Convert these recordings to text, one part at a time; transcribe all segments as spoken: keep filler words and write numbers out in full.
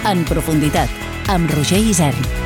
En profunditat, amb Roger Isern.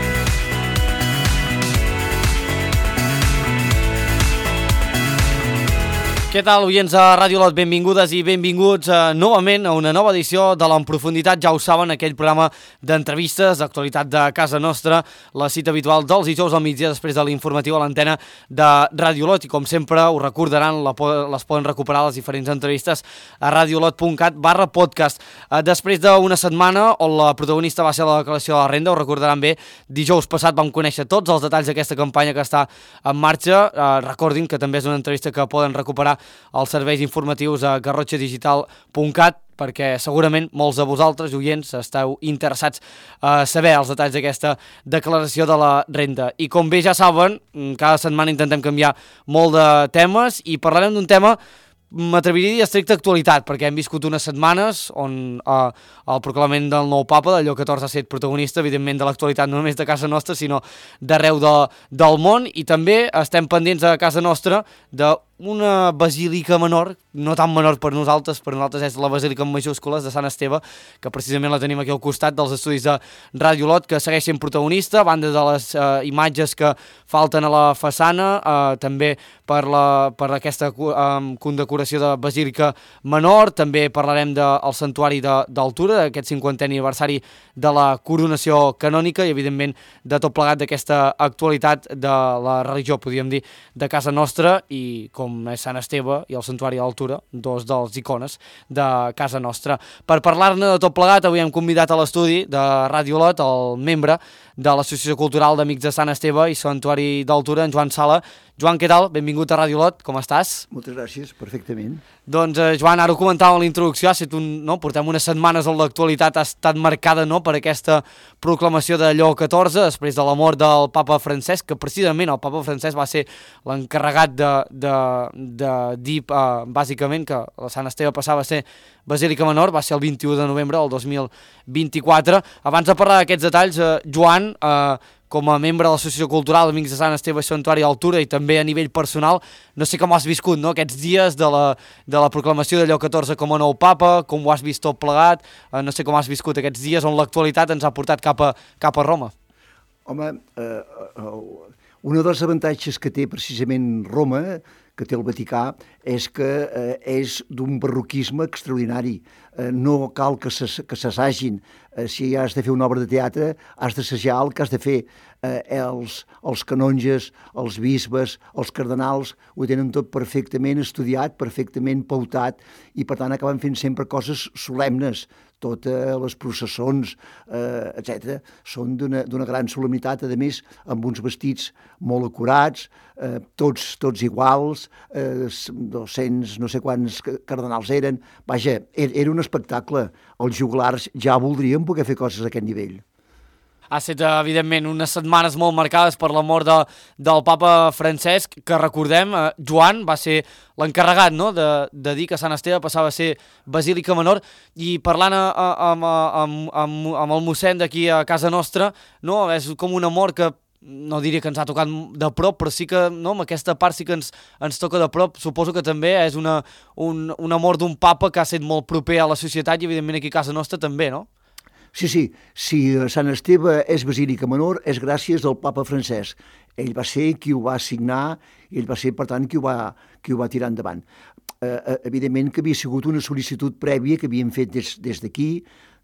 Què tal, oients de Ràdio Lot? Benvingudes i benvinguts uh, novament a una nova edició de l'En Profunditat. Ja ho saben, aquell programa d'entrevistes, d'actualitat de casa nostra, la cita habitual dels dijous al migdia després de l'informatiu a l'antena de Ràdio Lot. I com sempre, ho recordaran, la, les poden recuperar les diferents entrevistes a radiolot.cat barra podcast. Uh, després d'una setmana on la protagonista va ser la declaració de la renda, ho recordaran bé, dijous passat vam conèixer tots els detalls d'aquesta campanya que està en marxa. Uh, recordin que també és una entrevista que poden recuperar als serveis informatius a garrotxa digital punt cat, perquè segurament molts de vosaltres, oients, esteu interessats a saber els detalls d'aquesta declaració de la renda. I com bé ja saben, cada setmana intentem canviar molt de temes i parlarem d'un tema, m'atreviria a dir estricta actualitat, perquè hem viscut unes setmanes on eh, el proclamament del nou papa, de Lleó catorze, ha estat protagonista, evidentment, de l'actualitat no només de casa nostra, sinó d'arreu de, del món, i també estem pendents a casa nostra de una basílica menor, no tan menor per nosaltres, per nosaltres és la basílica en majúscules de Sant Esteve, que precisament la tenim aquí al costat dels estudis de Ràdio Lot, que segueix sent protagonista, a banda de les eh, imatges que falten a la façana, eh, també per, la, per aquesta eh, condecoració de basílica menor, també parlarem del santuari d'Altura, d'aquest cinquantè aniversari de la coronació canònica i, evidentment, de tot plegat d'aquesta actualitat de la religió, podríem dir, de casa nostra, i com com és Sant Esteve i el Santuari d'Altura, dos dels icones de casa nostra. Per parlar-ne de tot plegat, avui hem convidat a l'estudi de Ràdio Lot el membre de l'Associació Cultural d'Amics de Sant Esteve i Santuari d'Altura, en Joan Sala. Joan, què tal? Benvingut a Ràdio Lot, com estàs? Moltes gràcies, perfectament. Doncs, eh, Joan, ara ho comentàvem a la introducció, ha estat un, no? portem unes setmanes on l'actualitat ha estat marcada no? per aquesta proclamació de Lleó catorze, després de la mort del papa Francesc, que precisament el papa Francesc va ser l'encarregat de, de, de dir, eh, bàsicament, que la Sant Esteve passava a ser Basílica Menor, va ser el vint-i-u de novembre del dos mil vint-i-quatre. Abans de parlar d'aquests detalls, eh, Joan, eh, com a membre de l'Associació Cultural d'Amics de Sant Esteve i Santuari d'Altura i també a nivell personal, no sé com has viscut no? aquests dies de la, de la proclamació de Lleó catorze com a nou papa, com ho has vist tot plegat, eh, no sé com has viscut aquests dies on l'actualitat ens ha portat cap a, cap a Roma. Home, eh, eh, un dels avantatges que té precisament Roma, que té el Vaticà, és que eh, és d'un barroquisme extraordinari. Eh, no cal que s'assagin. Eh, si has de fer una obra de teatre, has d'assajar el que has de fer. Eh, els, els canonges, els bisbes, els cardenals, ho tenen tot perfectament estudiat, perfectament pautat, i per tant acaben fent sempre coses solemnes. Totes les processons, eh, etcètera, són d'una gran solemnitat, a més, amb uns vestits molt acurats, eh, tots, tots iguals, eh, dos-cents no sé quants cardenals eren. Vaja, era un espectacle. Els joglars ja voldrien poder fer coses a aquest nivell. Ha estat, evidentment, unes setmanes molt marcades per la mort de, del papa Francesc, que recordem, eh, Joan va ser l'encarregat no? de, de dir que Sant Esteve passava a ser Basílica Menor, i parlant a, a, amb, amb, amb, amb el mossèn d'aquí a casa nostra, no? És com una mort que no diria que ens ha tocat de prop, però sí que no, amb aquesta part sí que ens, ens toca de prop. Suposo que també és una, un, una mort d'un papa que ha estat molt proper a la societat i evidentment aquí a casa nostra també, no? Sí, sí, si Sant Esteve és Basílica Menor és gràcies al papa Francesc. Ell va ser qui ho va signar i ell va ser, per tant, qui ho va, qui ho va tirar endavant. Eh, evidentment que havia sigut una sol·licitud prèvia que havíem fet des, des d'aquí.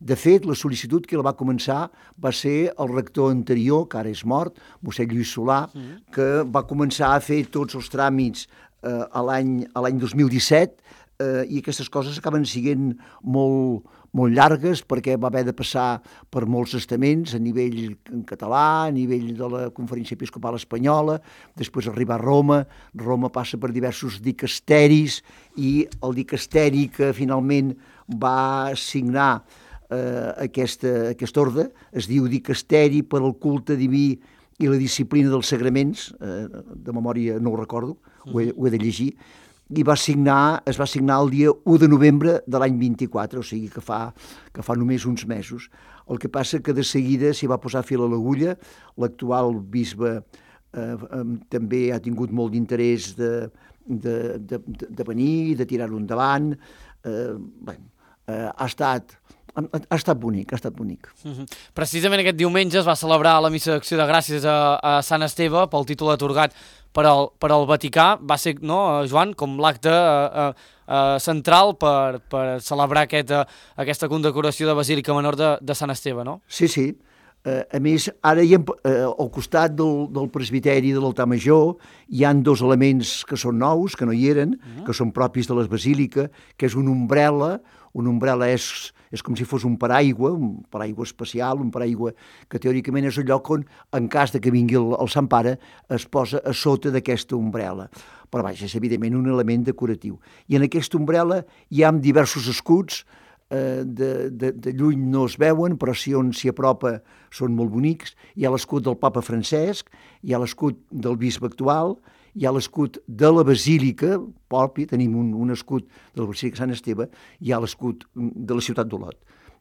De fet, la sol·licitud que la va començar va ser el rector anterior, que ara és mort, mossèn Lluís Solà, mm. que va començar a fer tots els tràmits eh, a l'any dos mil disset, eh, i aquestes coses acaben sent molt, molt llargues perquè va haver de passar per molts estaments a nivell en català, a nivell de la Conferència Episcopal Espanyola, després arribar a Roma. Roma passa per diversos dicasteris i el dicasteri que finalment va signar eh, aquesta, aquest ordre es diu Dicasteri per al culte diví i la disciplina dels sagraments, eh, de memòria no ho recordo, ho he, ho he de llegir, i va signar, es va signar el dia u de novembre de l'any vint-i-quatre, o sigui que fa, que fa només uns mesos. El que passa que de seguida s'hi va posar fil a l'agulla. L'actual bisbe eh, eh, també ha tingut molt d'interès de, de, de, de venir, de tirar-ho endavant. Eh, bé, eh, ha estat ha, ha estat bonic, ha estat bonic. Uh-huh. Precisament aquest diumenge es va celebrar la missa d'acció de gràcies a, a Sant Esteve pel títol atorgat per al, per al Vaticà. Va ser, no, Joan, com l'acte uh, uh, central per, per celebrar aquest, uh, aquesta condecoració de Basílica Menor de, de Sant Esteve, no? Sí, sí. Uh, a més, ara hi ha, uh, al costat del, del presbiteri de l'altar major hi han dos elements que són nous, que no hi eren, uh-huh. que són propis de les basílica, que és una ombrel·la. Una ombrel·la és, és com si fos un paraigua, un paraigua especial, un paraigua que teòricament és el lloc on, en cas de que vingui el, el Sant Pare, es posa a sota d'aquesta ombrel·la. Però vaja, és evidentment un element decoratiu. I en aquesta ombrel·la hi ha diversos escuts, eh, de, de, de lluny no es veuen, però si on s'hi apropa són molt bonics. Hi ha l'escut del papa Francesc, hi ha l'escut del bisbe actual, hi ha l'escut de la Basílica, propi, tenim un, un escut de la Basílica Sant Esteve, hi ha l'escut de la ciutat d'Olot.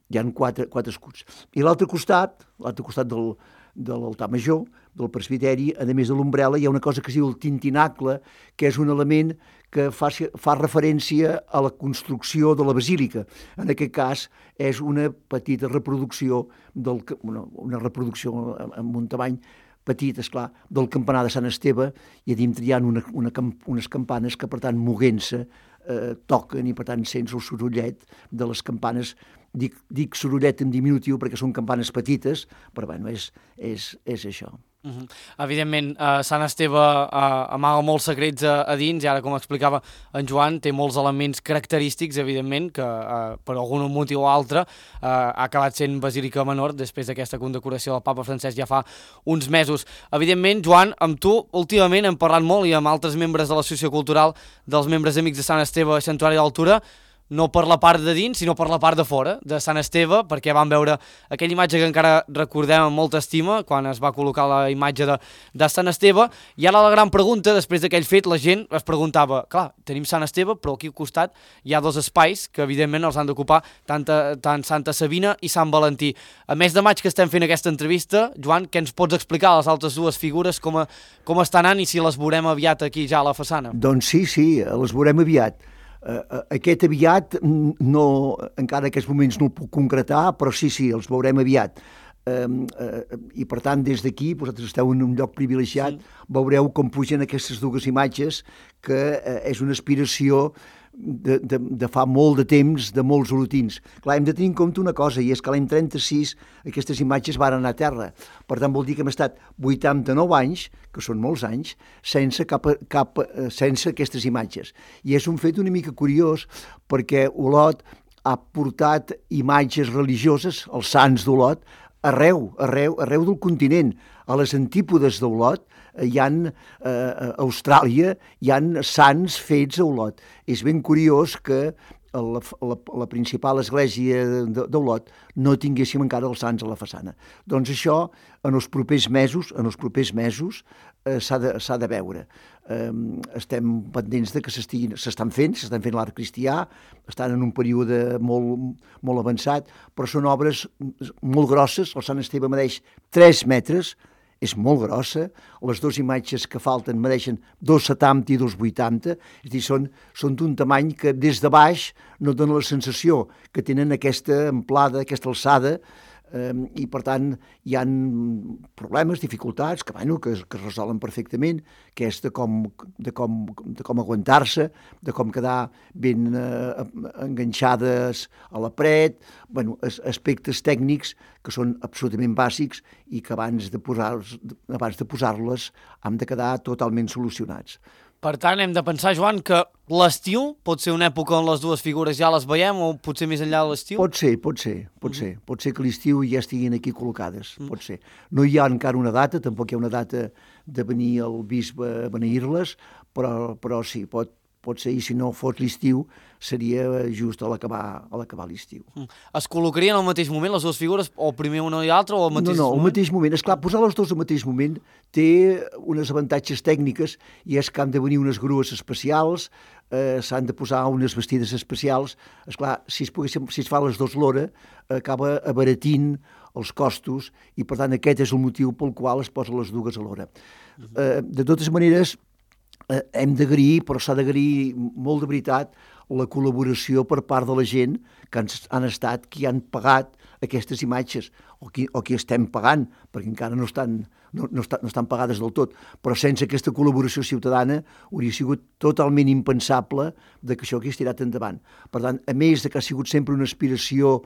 Hi ha quatre, quatre escuts. I l'altre costat, l'altre costat del, de l'altar major, del presbiteri, a més de l'ombrel·la, hi ha una cosa que es diu el tintinacle, que és un element que fa, fa referència a la construcció de la basílica. En aquest cas, és una petita reproducció, del, una, una reproducció amb un tamany petit, esclar, del campanar de Sant Esteve, i a dintre hi ha una, una, unes campanes que, per tant, moguent-se, eh, toquen, i per tant sents el sorollet de les campanes. Dic, dic sorollet en diminutiu perquè són campanes petites, però bueno, és, és, és això. Uh-huh. Evidentment, eh, Sant Esteve eh, amaga molts secrets a, a dins, i ara, com explicava en Joan, té molts elements característics, evidentment, que eh, per algun motiu o altre eh, ha acabat sent Basílica Menor després d'aquesta condecoració del papa Francesc ja fa uns mesos. Evidentment, Joan, amb tu últimament hem parlat molt, i amb altres membres de l'Associació Cultural dels membres amics de Sant Esteve Santuari d'Altura, no per la part de dins, sinó per la part de fora, de Sant Esteve, perquè vam veure aquella imatge que encara recordem amb molta estima, quan es va col·locar la imatge de, de Sant Esteve, i ara la gran pregunta, després d'aquell fet, la gent es preguntava, clar, tenim Sant Esteve, però aquí al costat hi ha dos espais que evidentment els han d'ocupar tant, tant Santa Sabina i Sant Valentí. A mes de maig que estem fent aquesta entrevista, Joan, què ens pots explicar a les altres dues figures, com, a, com estan anant i si les veurem aviat aquí ja a la façana? Doncs sí, sí, les veurem aviat. Uh, aquest aviat, no, encara en aquests moments no el puc concretar, però sí, sí, els veurem aviat. Uh, uh, I per tant, des d'aquí, vosaltres esteu en un lloc privilegiat, sí. Veureu com pugen aquestes dues imatges, que uh, és una aspiració de, de, de fa molt de temps, de molts olotins. Clar, hem de tenir en compte una cosa, i és que l'any trenta-sis aquestes imatges van anar a terra. Per tant, vol dir que hem estat vuitanta-nou anys, que són molts anys, sense, cap, cap, sense aquestes imatges. I és un fet una mica curiós, perquè Olot ha portat imatges religioses, els sants d'Olot, arreu, arreu, arreu del continent. A les antípodes d'Olot hi ha, eh, a Austràlia, hi ha sants fets a Olot. És ben curiós que la, la, la principal església d'Olot no tinguéssim encara els sants a la façana. Doncs això, en els propers mesos, en els propers mesos, eh, s'ha de, s'ha de veure. Eh, estem pendents de que s'estan fent, s'estan fent l'art cristià, estan en un període molt, molt avançat, però són obres molt grosses. El Sant Esteve medeix tres metres, és molt grossa, les dues imatges que falten medeixen dos setanta i dos vuitanta, és a dir, són, són d'un tamany que des de baix no dona la sensació que tenen aquesta amplada, aquesta alçada, eh, i per tant hi ha problemes, dificultats, que, bueno, que, que es resolen perfectament, que és de com, de com, de com aguantar-se, de com quedar ben eh, enganxades a la paret, bueno, aspectes tècnics que són absolutament bàsics i que abans de posar-les abans de posar-les han de quedar totalment solucionats. Per tant, hem de pensar, Joan, que l'estiu pot ser una època on les dues figures ja les veiem, o potser més enllà de l'estiu? Pot ser, pot ser, pot mm-hmm. ser. Pot ser que l'estiu ja estiguin aquí col·locades, mm. pot ser. No hi ha encara una data, tampoc hi ha una data de venir el bisbe a beneir-les, però, però sí, pot, pot ser, i si no fos l'estiu, seria just a l'acabar a l'acabar l'estiu. Mm. Es col·locarien al mateix moment les dues figures, o primer una i l'altra, o al mateix no, no, moment? No, al mateix moment. Esclar, posar les dues al mateix moment té unes avantatges tècniques, i és que han de venir unes grues especials, eh, s'han de posar unes vestides especials. Esclar, si es, poguéssim, si es fa les dues l'hora, acaba abaratint els costos, i per tant aquest és el motiu pel qual es posen les dues a l'hora. Uh-huh. eh, de totes maneres, Eh, hem d'agrair, però s'ha d'agrair molt de veritat, la col·laboració per part de la gent que han, han estat, qui han pagat aquestes imatges, o qui, o qui estem pagant, perquè encara no estan, no, no, estan, no estan pagades del tot. Però sense aquesta col·laboració ciutadana hauria sigut totalment impensable de que això hagués tirat endavant. Per tant, a més de que ha sigut sempre una aspiració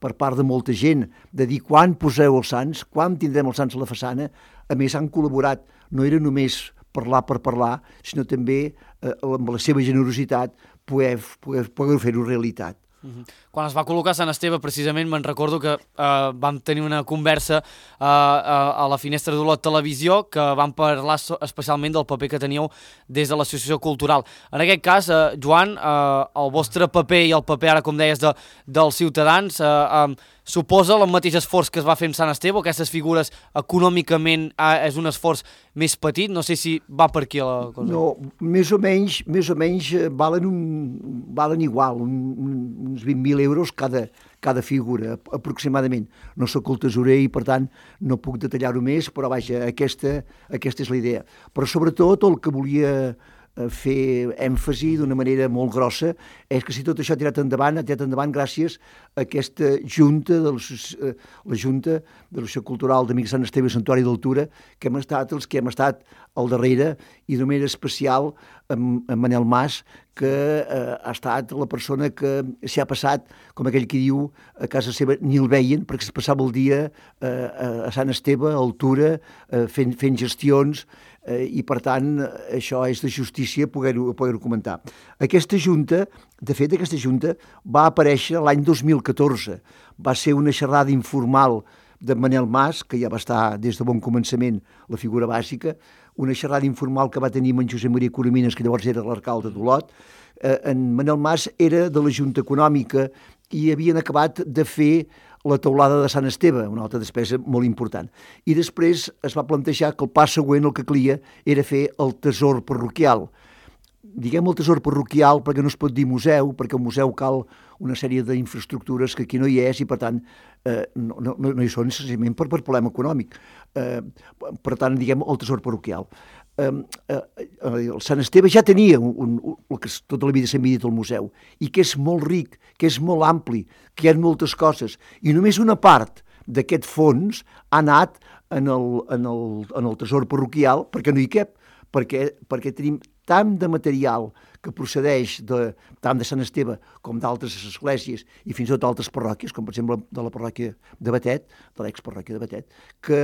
per part de molta gent, de dir quan poseu els sants, quan tindrem els sants a la façana, a més han col·laborat, no era només parlar per parlar, sinó també eh, amb la seva generositat poder, poder, poder fer-ho realitat. Uh-huh. Quan es va col·locar Sant Esteve, precisament me'n recordo que eh, vam tenir una conversa eh, a la Finestra d'Olot Televisió, que vam parlar so especialment del paper que teníeu des de l'Associació Cultural. En aquest cas, eh, Joan, eh, el vostre paper i el paper, ara com deies, de, dels ciutadans, eh, eh, suposa el mateix esforç que es va fer amb Sant Esteve, o aquestes figures econòmicament eh, és un esforç més petit? No sé si va per aquí la cosa. No, més o menys, més o menys valen, un, valen igual, un, un, uns vint mil euros cada, cada figura, aproximadament. No sóc el tesorer i, per tant, no puc detallar-ho més, però vaja, aquesta, aquesta és la idea. Però sobretot el que volia fer èmfasi d'una manera molt grossa és que si tot això ha tirat endavant, ha tirat endavant gràcies a aquesta junta, de la, la Junta de l'Associació Cultural d'Amics Sant Esteve i Santuari d'Altura, que hem estat els que hem estat al darrere, i d'una manera especial amb, amb Manel Mas, que eh, ha estat la persona que s'hi ha passat, com aquell que diu, a casa seva ni el veien, perquè es passava el dia eh, a Sant Esteve, a Altura, eh, fent, fent gestions, eh, i per tant això és de justícia poder-ho poder comentar. Aquesta junta, de fet aquesta junta va aparèixer l'any dos mil catorze, va ser una xerrada informal de Manel Mas, que ja va estar des de bon començament la figura bàsica, una xerrada informal que va tenir amb en Josep Maria Coromines, que llavors era l'alcalde d'Olot. Eh, en Manel Mas era de la Junta Econòmica i havien acabat de fer la teulada de Sant Esteve, una altra despesa molt important. I després es va plantejar que el pas següent el que calia era fer el tesor parroquial. Diguem el tesor parroquial perquè no es pot dir museu, perquè el museu cal una sèrie d'infraestructures que aquí no hi és i per tant eh, no, no, no hi són senzillament per, per problema econòmic. Eh, per tant, diguem el tesor parroquial. Eh, eh, el Sant Esteve ja tenia un, un, el que tota la vida s'ha dit el museu i que és molt ric, que és molt ampli, que hi ha moltes coses i només una part d'aquest fons ha anat en el, en el, en el tesor parroquial perquè no hi cap, perquè, perquè tenim tant de material que procedeix de, tant de Sant Esteve com d'altres esglésies i fins i tot d'altres parròquies, com per exemple de la parròquia de Batet, de l'exparròquia de Batet, que,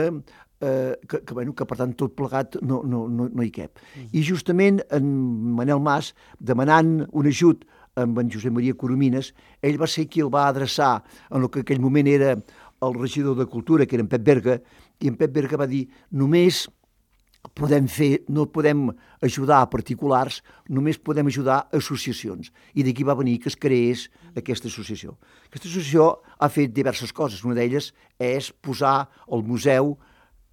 eh, que, que, bueno, que per tant tot plegat no, no, no, no hi cap. Mm. I justament en Manel Mas, demanant un ajut amb en Josep Maria Coromines, ell va ser qui el va adreçar en el que en aquell moment era el regidor de Cultura, que era en Pep Berga, i en Pep Berga va dir només podem fer, no podem ajudar a particulars, només podem ajudar a associacions. I d'aquí va venir que es creés aquesta associació. Aquesta associació ha fet diverses coses. Una d'elles és posar el museu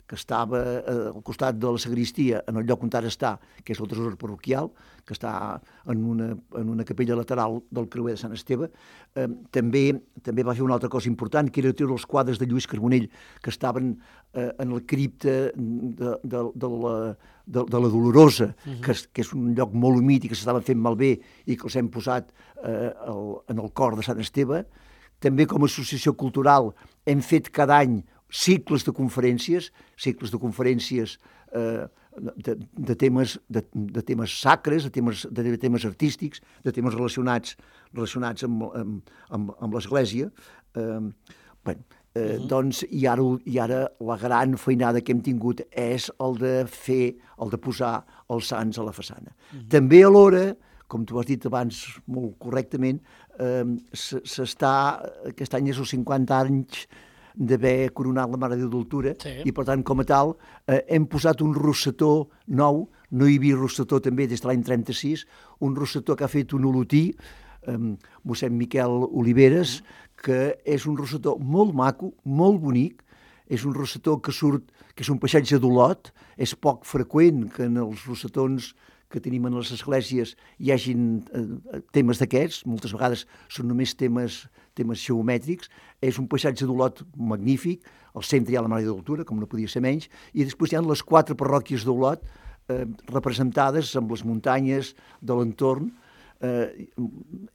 que estava al costat de la sagristia, en el lloc on ara està, que és el tresor parroquial, que està en una, en una capella lateral del creuer de Sant Esteve. Eh, també, també va fer una altra cosa important, que era treure els quadres de Lluís Carbonell, que estaven eh, en el cripte de, de, de, la, de, de la Dolorosa, uh-huh. que, és, que és un lloc molt humit i que s'estaven fent malbé i que els hem posat eh, el, en el cor de Sant Esteve. També com a associació cultural hem fet cada any cicles de conferències, cicles de conferències eh, de, de, temes, de, de temes sacres, de temes, de temes artístics, de temes relacionats, relacionats amb, amb, amb, amb l'Església. Eh, bueno, eh, uh-huh. doncs, i ara, i ara la gran feinada que hem tingut és el de fer, el de posar els sants a la façana. Uh-huh. També alhora, com tu has dit abans molt correctament, eh, s'està, aquest any és els cinquanta anys d'haver coronat la Mare de Déu d'Altura, sí. I per tant, com a tal, eh, hem posat un rosetó nou, no hi havia rosetó també des de l'any trenta-sis, un rosetó que ha fet un olotí, eh, mossèn Miquel Oliveres, que és un rosetó molt maco, molt bonic, és un rosetó que surt, que és un paisatge d'Olot, és poc freqüent que en els rosetons que tenim en les esglésies hi hagin eh, temes d'aquests, moltes vegades són només temes, temes geomètrics, és un paisatge d'Olot magnífic, al centre hi ha la Mare de Déu d'Altura, com no podia ser menys, i després hi ha les quatre parròquies d'Olot eh, representades amb les muntanyes de l'entorn, eh,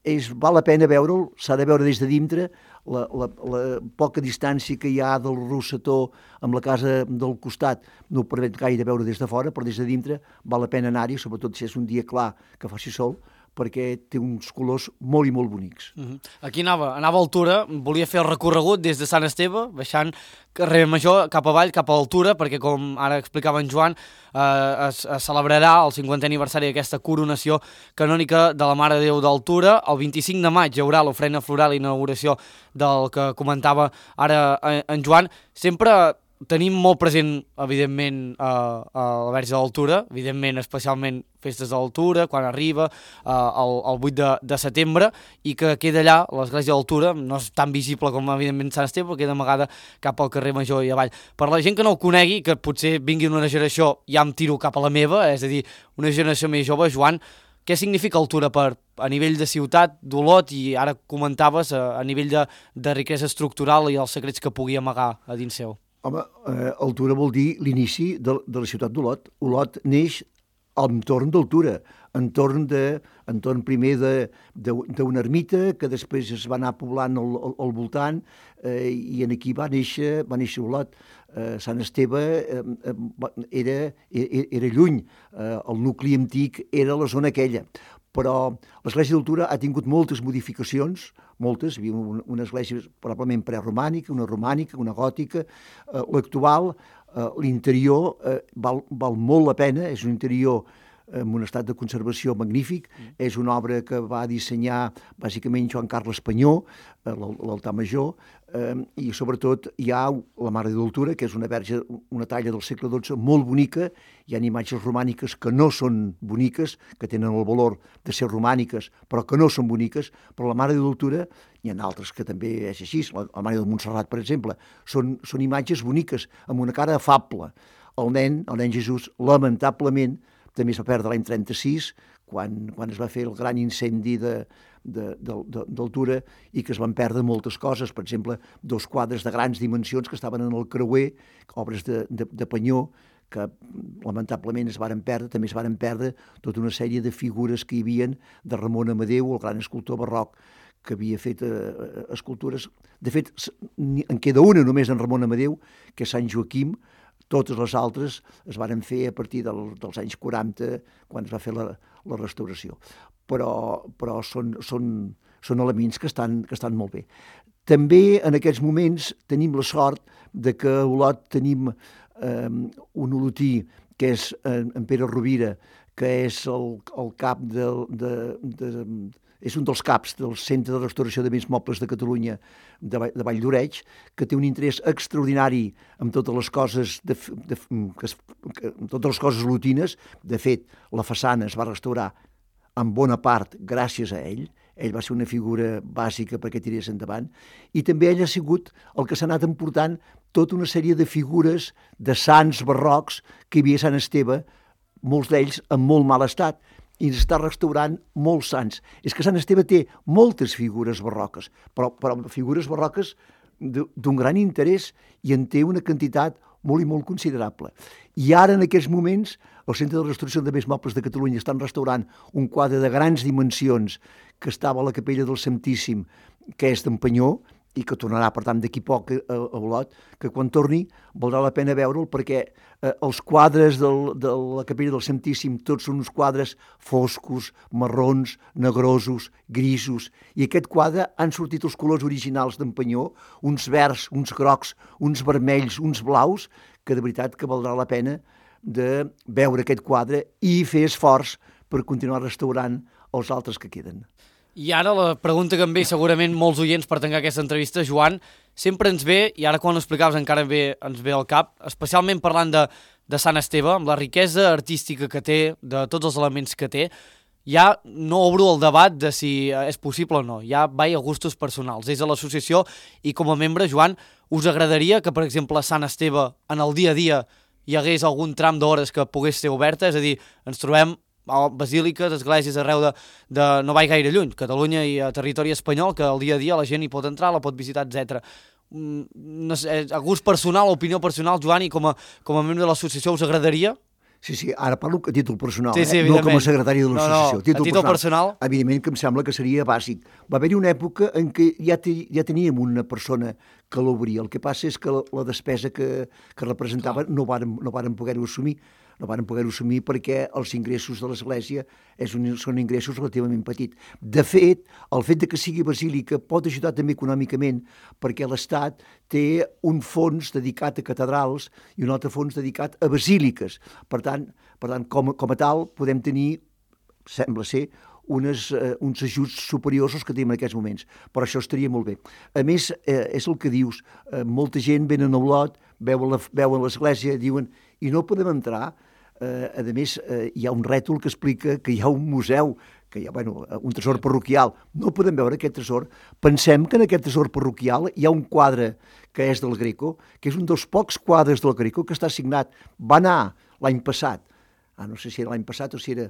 és, val la pena veure'l, s'ha de veure des de dintre, la, la, la poca distància que hi ha del Rossetó amb la casa del costat no ho permet gaire veure des de fora, però des de dintre val la pena anar-hi, sobretot si és un dia clar que faci sol, perquè té uns colors molt i molt bonics. Uh-huh. Aquí anava, anava a altura, volia fer el recorregut des de Sant Esteve, baixant carrer Major cap avall, cap a altura, perquè com ara explicava en Joan, eh, es, es celebrarà el cinquantè aniversari d'aquesta coronació canònica de la Mare de Déu d'Altura. El vint-i-cinc de maig hi haurà l'ofrena floral i inauguració del que comentava ara en Joan. Sempre tenim molt present, evidentment, eh, a la Verge d'Altura, evidentment, especialment festes d'Altura, quan arriba eh, el, el vuit de setembre, i que queda allà, l'església d'Altura, no és tan visible com, evidentment, Sant Esteve, queda amagada cap al carrer Major i avall. Per la gent que no el conegui, que potser vingui d'una generació, ja em tiro cap a la meva, és a dir, una generació més jove, Joan, què significa Altura per, a nivell de ciutat, d'Olot, i ara comentaves a, a nivell de, de riquesa estructural i els secrets que pugui amagar a dins seu? Home, eh, Altura vol dir l'inici de, de la ciutat d'Olot. Olot neix entorn d'Altura, entorn, de, entorn primer d'una ermita que després es va anar poblant al, al, al voltant eh, i en aquí va néixer, va néixer Olot. Eh, Sant Esteve eh, era, era, era lluny, eh, el nucli antic era la zona aquella. Però l'església d'Altura ha tingut moltes modificacions, moltes, hi havia una, una església probablement preromànica, una romànica, una gòtica, eh, l'actual, eh, l'interior eh, val, val molt la pena, és un interior en un estat de conservació magnífic, mm. és una obra que va dissenyar bàsicament Joan Carles Panyó, eh, l'altar major, eh, i sobretot hi ha la Mare de d'Altura, que és una verge, una talla del segle dotze molt bonica, hi ha imatges romàniques que no són boniques, que tenen el valor de ser romàniques, però que no són boniques, però la Mare de d'Altura, hi ha altres que també és així, la, la Mare de Montserrat, per exemple, són, són imatges boniques, amb una cara afable. El nen, el nen Jesús, lamentablement, també es va perdre l'any trenta-sis, quan, quan es va fer el gran incendi de, de, de, de, d'Altura i que es van perdre moltes coses, per exemple, dos quadres de grans dimensions que estaven en el creuer, obres de, de, de Panyó, que lamentablement es varen perdre, també es varen perdre tota una sèrie de figures que hi havien de Ramon Amadeu, el gran escultor barroc, que havia fet eh, escultures. De fet, en queda una només en Ramon Amadeu, que és Sant Joaquim. Totes les altres es varen fer a partir del, dels anys quaranta, quan es va fer la, la restauració. Però, però són, són, són elements que estan, que estan molt bé. També en aquests moments tenim la sort de que a Olot tenim eh, un olotí, que és eh, en Pere Rovira, que és el, el cap de, de, de, és un dels caps del Centre de Restauració de Béns Mobles de Catalunya de, de Vall d'Oreig, que té un interès extraordinari amb totes les coses de, de, que es, que, amb totes les coses lutines. De fet, la façana es va restaurar en bona part gràcies a ell. Ell va ser una figura bàsica perquè tirés endavant. I també ell ha sigut el que s'ha anat emportant tota una sèrie de figures de sants barrocs que hi havia a Sant Esteve, molts d'ells en molt mal estat, i està restaurant molts sants. És que Sant Esteve té moltes figures barroques, però, però figures barroques d'un gran interès, i en té una quantitat molt i molt considerable. I ara, en aquests moments, el Centre de Restauració de Béns Mobles de Catalunya estan restaurant un quadre de grans dimensions que estava a la Capella del Santíssim, que és d'en Panyó, i que tornarà, per tant, d'aquí poc a, a Olot, que quan torni valdrà la pena veure'l, perquè eh, els quadres del, de la Capella del Santíssim tots són uns quadres foscos, marrons, negrosos, grisos, i aquest quadre han sortit els colors originals d'en Panyó, uns verds, uns grocs, uns vermells, uns blaus, que de veritat que valdrà la pena de veure aquest quadre i fer esforç per continuar restaurant els altres que queden. I ara la pregunta que em ve segurament molts oients per tancar aquesta entrevista, Joan, sempre ens ve, i ara quan ho explicaves encara bé, ens ve al cap, especialment parlant de, de Sant Esteve, amb la riquesa artística que té, de tots els elements que té, ja no obro el debat de si és possible o no, ja va a gustos personals. És a l'associació i com a membre, Joan, us agradaria que, per exemple, a Sant Esteve, en el dia a dia, hi hagués algun tram d'hores que pogués ser oberta? És a dir, ens trobem basíliques, esglésies arreu de, de no vaig gaire lluny, Catalunya i a territori espanyol, que al dia a dia la gent hi pot entrar, la pot visitar, etcètera. No sé, a gust personal, opinió personal, Joan, i com a, com a membre de l'associació us agradaria? Sí, sí, ara parlo a títol personal, sí, sí, eh? No com a secretari de l'associació. No, no, títol a títol personal, personal. Evidentment que em sembla que seria bàsic. Va haver-hi una època en què ja, te, ja teníem una persona que l'obria. El que passa és que la, la despesa que, que representava Clar. no vàrem, no vàrem poder-ho assumir. No vàrem poder-ho assumir perquè els ingressos de l'Església és un, són ingressos relativament petits. De fet, el fet de que sigui basílica pot ajudar també econòmicament perquè l'Estat té un fons dedicat a catedrals i un altre fons dedicat a basíliques. Per tant, per tant com, com a tal, podem tenir, sembla ser, unes, eh, uns ajuts superiors als que tenim en aquests moments. Però això estaria molt bé. A més, eh, és el que dius, eh, molta gent venen a Olot, veuen l'Església, diuen, i no podem entrar. Eh, a més, eh, hi ha un rètol que explica que hi ha un museu, que hi ha bueno, un tresor parroquial. No podem veure aquest tresor. Pensem que en aquest tresor parroquial hi ha un quadre que és del Greco, que és un dels pocs quadres del Greco que està signat. Va anar l'any passat, ah, no sé si era l'any passat o si era...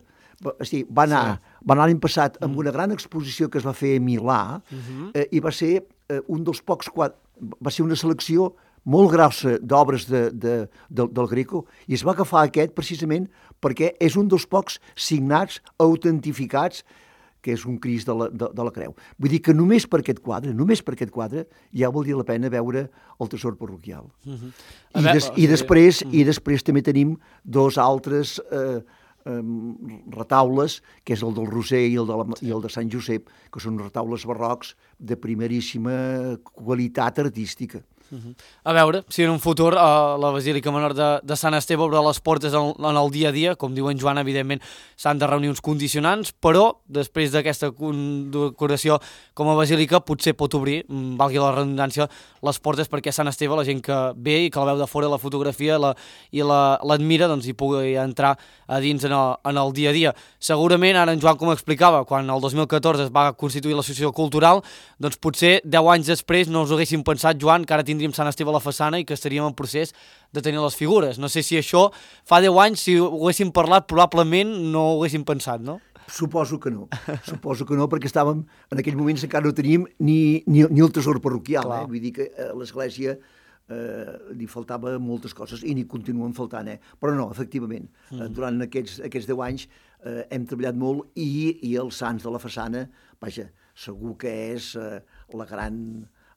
Sí, va anar, sí. va anar l'any passat amb una gran exposició que es va fer a Milà uh-huh. eh, i va ser eh, un dels pocs quadres... Va ser una selecció molt grossa d'obres de, de, de, del Greco, i es va agafar aquest precisament perquè és un dels pocs signats, autentificats, que és un Crist de la, de, de la Creu. Vull dir que només per aquest quadre, només per aquest quadre, ja valdria la pena veure el tresor parroquial. Uh-huh. I, des, i, després, uh-huh. I després també tenim dos altres eh, eh, retaules, que és el del Roser i el de, la, i el de Sant Josep, que són retaules barrocs de primeríssima qualitat artística. Uh-huh. A veure si en un futur uh, la Basílica Menor de, de Sant Esteve obre les portes en, en el dia a dia. Com diu en Joan, evidentment s'han de reunir uns condicionants, però després d'aquesta condecoració com a basílica potser pot obrir, valgui la redundància, les portes perquè Sant Esteve, la gent que ve i que la veu de fora la fotografia la, i l'admira, la, doncs hi pugui entrar a dins en el, en el dia a dia. Segurament, ara en Joan com explicava, quan el dos mil catorze es va constituir l'associació cultural, doncs potser deu anys després no us ho haguéssim pensat, Joan, que ara tindríem Sant Esteve a la façana i que estaríem en procés de tenir les figures. No sé si això fa deu anys, si ho haguéssim parlat, probablement no ho haguéssim pensat, no? Suposo que no, suposo que no, perquè estàvem, en aquells moments encara no teníem ni, ni, ni el tresor parroquial, eh? Vull dir que a l'Església eh, li faltava moltes coses i n'hi continuen faltant, eh? Però no, efectivament, mm. eh, durant aquests, aquests deu anys eh, hem treballat molt i, i els sants de la façana, vaja, segur que és eh, la gran...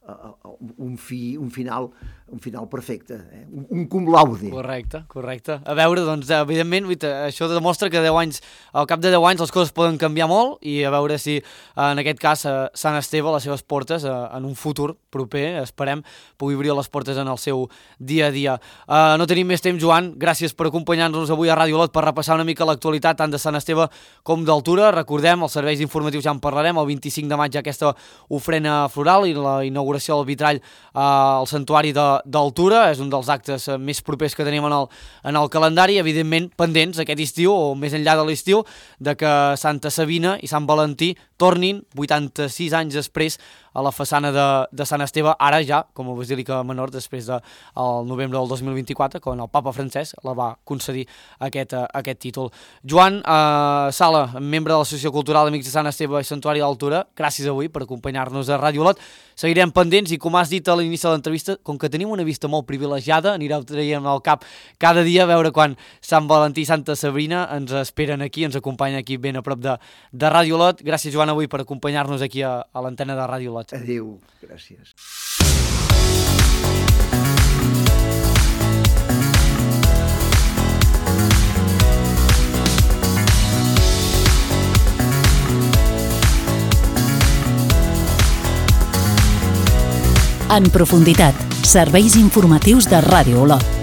Uh, uh, un, fi, un, final, un final perfecte, eh? un, un cum laude. Correcte, correcte. A veure, doncs, evidentment, això demostra que deu anys, al cap de deu anys les coses poden canviar molt i a veure si, en aquest cas, Sant Esteve, les seves portes, en un futur proper, esperem, pugui obrir les portes en el seu dia a dia. Uh, no tenim més temps, Joan. Gràcies per acompanyar-nos avui a Ràdio Olot per repassar una mica l'actualitat tant de Sant Esteve com d'Altura. Recordem, els serveis informatius ja en parlarem, el vint-i-cinc de maig hi ha aquesta ofrena floral i la inauguració del vitrall al Santuari d'Altura. És un dels actes més propers que tenim en el, en el calendari, evidentment pendents aquest estiu o més enllà de l'estiu de que Santa Sabina i Sant Valentí tornin vuitanta-sis anys després a la façana de, de Sant Esteve, ara ja com a Basílica Menor, després del de, novembre del dos mil vint-i-quatre, quan el papa Francesc la va concedir aquest, uh, aquest títol. Joan uh, Sala, membre de l'Associació Cultural Amics de Sant Esteve i Santuari d'Altura, gràcies avui per acompanyar-nos a Ràdio Olot. Seguirem pendents i, com has dit a l'inici de l'entrevista, com que tenim una vista molt privilegiada, anireu traient al cap cada dia a veure quan Sant Valentí i Santa Sabrina ens esperen aquí, ens acompanyen aquí ben a prop de, de Ràdio Olot. Gràcies, Joan, avui per acompanyar-nos aquí a, a l'antena de Ràdio Olot. Adéu, gràcies. En profunditat, serveis informatius de Ràdio Olot.